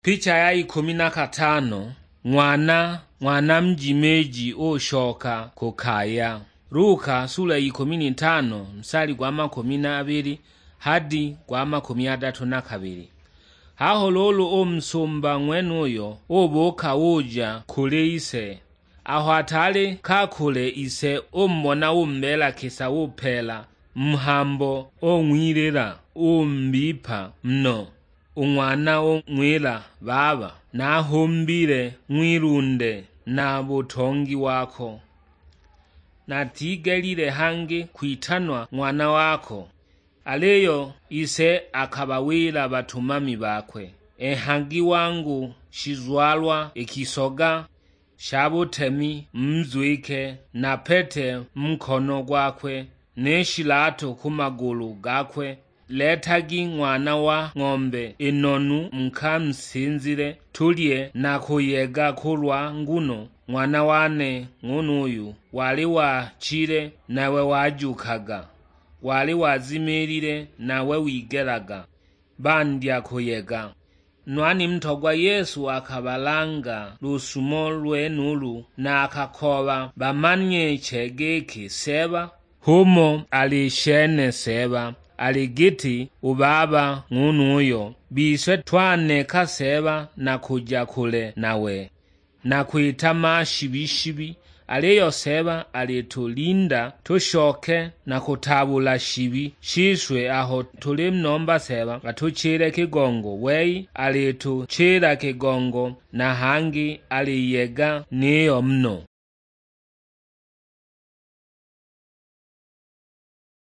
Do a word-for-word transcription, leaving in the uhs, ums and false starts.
Picha ya ikumi na katano. Ng'wana, ng'wana mjimiji ushoka ku kaya. Luka sula ya ikumi na itano, msali gwa makumi na abili hadi gwa makumi adatu na kabili. Haho lulu u musumba ng'wenuyo ubuka uja kuli ise. Aho ataali kakule ise umubona, umbeela kisa, upeela mhambo, ung'wilila, umbipa no. U ng'wana ung'wila, "Baba, nahumbile ng'wilunde na butongi wako, natigelile hangi kwitanwa ng'wana wako." Aliyo ise akabawila batumami bakwe, "Enhagi wangu shizwalwa ikisoga sha butemi muzwike, na pete mu nkono gwakwe, ni shilato ku magulu gakwe. Letagi ng'wana wa ng'ombe inonu mukamusinzile, tulye na kuyega, kulwa nguno ng'wana wane ng'unuyu wali wachile, nawe wajukaga, wali wazimilile, nawe wigelaga." Bandya kuyega. Nwani mutogwa Yesu akabalanga lusumo lwenulu, na akakooba bamanye che giki Seeba h'umo ali shene Seeba, ali giti u Baba ng'unuyo. Bise twaneka Seeba na kuja kule nawe, na kwita mashibi-shibi, aliyo Seeba alitulinda tushoke na kutaabula shibi shise. Aho tulimunomba Seeba atuchile kigongo, wei alituchila kigongo, na hangi aliyega niyo muno.